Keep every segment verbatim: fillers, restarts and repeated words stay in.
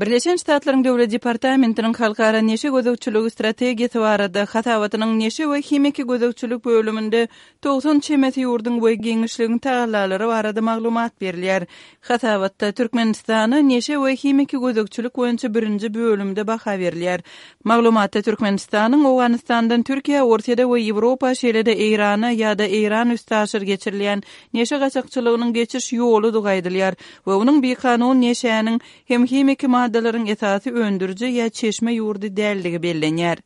Birleşen Ştatlaryň Döwlet departamentiniň halkara neşe gözegçiligi strategiýasy barada hasabatynyň neşe we himiki gözegçilik bölüminde togsan çemesi ýurduň we giňişligiň tagallalary barada maglumat berilýär. Hasabatda Türkmenistana neşe we himiki gözegçilik boýunça birinji bölümde baha berilýär. Maglumatda Türkmenistanyň Owganystandan Türkiýä, Orsýede we Ýewropa, şeýle-de Eýrana ýa-da Eýran üstaşyr geçirilýän neşe gaçakçylygynyň geçiş ýoludygy aýdylýar we onuň bikanun neşäniň hem himiki maddalaryň esasy öndüriji ýa çeşme ýurdy däldigi bellenýär.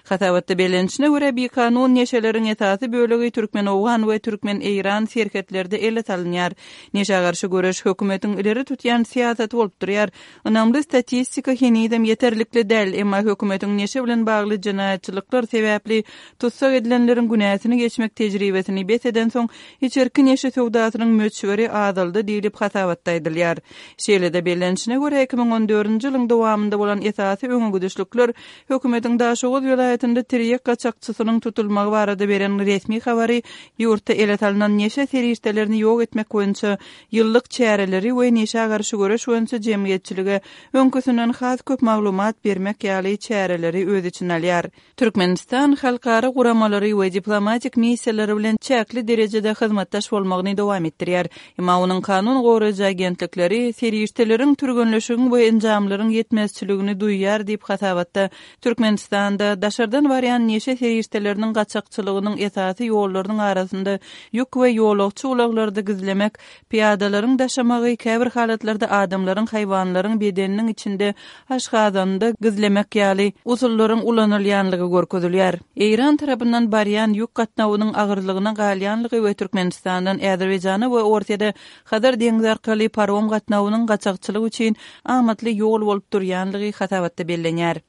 Hasabatda bellenişine görä, bikanun neşeleriň esasy bölegi türkmen-owgan we türkmen-eýran serhetlerde ele salynýar. Neşä garşy göreş hökümetiň ileri tutýan syýasaty bolup durýar. Ynamly statistika henizem ýeterlikli däl, emma hökümetiň neşe bilen bagly jenaýatçylyklar sebäpli tussag edilenleriň günäsini geçmek tejribesini bes edensoň, içerki neşe söwdasynyň möçberi azaldy diýlip hasabatda aýdylýar. Şeýle-de bellenişine görä, iki müň on dördünji ýylyň dowamynda bolan esasy öňegidişlikler hökümetiň Daşoguz welaýatynda tirýek gaçakçysynyň tutulmagy barada beren resmi habary ýurtda ele salnan neşe serişdelerini ýok etmek boýunça ýyllyk çäreleri we neşä garşy göreş boýunça jemgyýetçilige öňküsinden has köp maglumat bermek ýaly çäreleri öz içine alýar. Türkmenistan halkara guramalary we diplomatik missiýalary bilen çäkli derejede hyzmatdaş bolmagyny dowam etdirýär. Emma onuň kanun goraýjy agentlikleri serişdeleriň, türgenleşigiň we enjamlaryň ýetmezçiligini duýýar diýip hasabatda Türkmenistanda daşardan barýan neşe serişdeleriniň gaçakçylygynyň esasy ýollarynyň arasynda ýük we ýolagçy ulaglarda gizlemek, pyýadalaryň daşamagy, käbir halatlarda adamlaryň, haýwanlaryň bedeniniň içinde, aşgazanynda gizlemek ýaly usullaryň ulanylýanlygy görkezilýär. Eýran tarapyndan barýan ýük gatnawynyň agyrlygyna galýanlygy we Türkmenistandan Azerbaýjana we Orsýede Hazar deňzi arkaly parom gatnawynyň gaçakçylyk üçin amatly ýol bolup durýanlygy hasabatda bellenýär.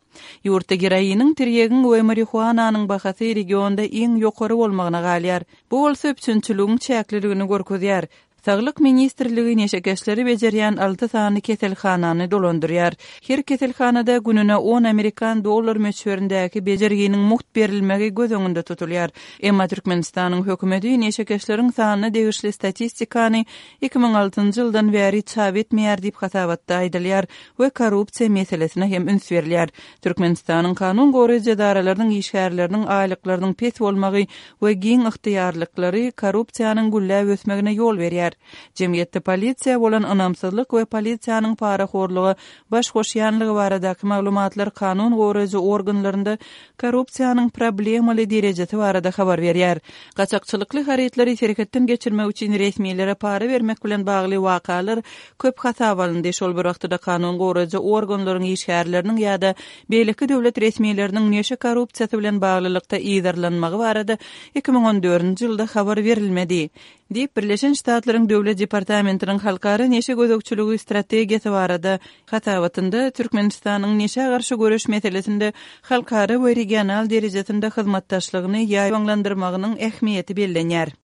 Ýurtda geroiniň, tirýegiň we marihuananyň bahasy regionda iň ýokary bolmagyna galýar. Bu bolsa üpjünçiligiň çäkliligini görkezýär. Saglyk ministrligi neşekeşleri bejerýän alty sany keselhanany dolandyrýar. Her keselhanada gününe on amerikan dollar möçberindäki bejerginiň mugt berilmegi göz öňünde tutulýar. Emma Türkmenistanyň hökümeti neşekeşleriň sanyna degişli statistikany iki müň altynjy ýyldan bäri çap etmeýär diýip hasabatda aýdylýar we korrupsiýa meselesine hem üns berilýär. Türkmenistanyň kanun goraýjy edaralarynyň işgärleriniň aýlyklarynyň pes bolmagy we giň ygtyýarlyklary korrupsiýanyň gülläp ösmegine ýol berýär. Jemgyýetde polisiýa bolan ynamsyzlyk we polisiýanyň parahorluga baş goşýanlygy baradaky maglumatlar kanun goraýjy organlarynda korrupsiýanyň problemaly derejesi barada habar berýär. Gaçakçylykly harytlary serhetden geçirmek üçin resmilere para bermek bilen bagly wakalar köp hasap alyndy. Şol bir wagtda kanun goraýjy organlaryň işgärleriniň ýa-da beýleki döwlet resmileriniň neşe korrupsiýasy bilen baglylykda yzarlanmagy barada iki müň on dördünji ýylda habar berilmedi. Diýip, Birleşen Ştatlaryň Döwlet departamentiniň halkara neşe gözegçiligi strategiýasy barada hasabatynda Türkmenistanyň neşä garşy göreş meselesinde halkara we regional derejesinde hyzmatdaşlygyny ýaýbaňlandyrmagynyň ähmiýeti bellenýär.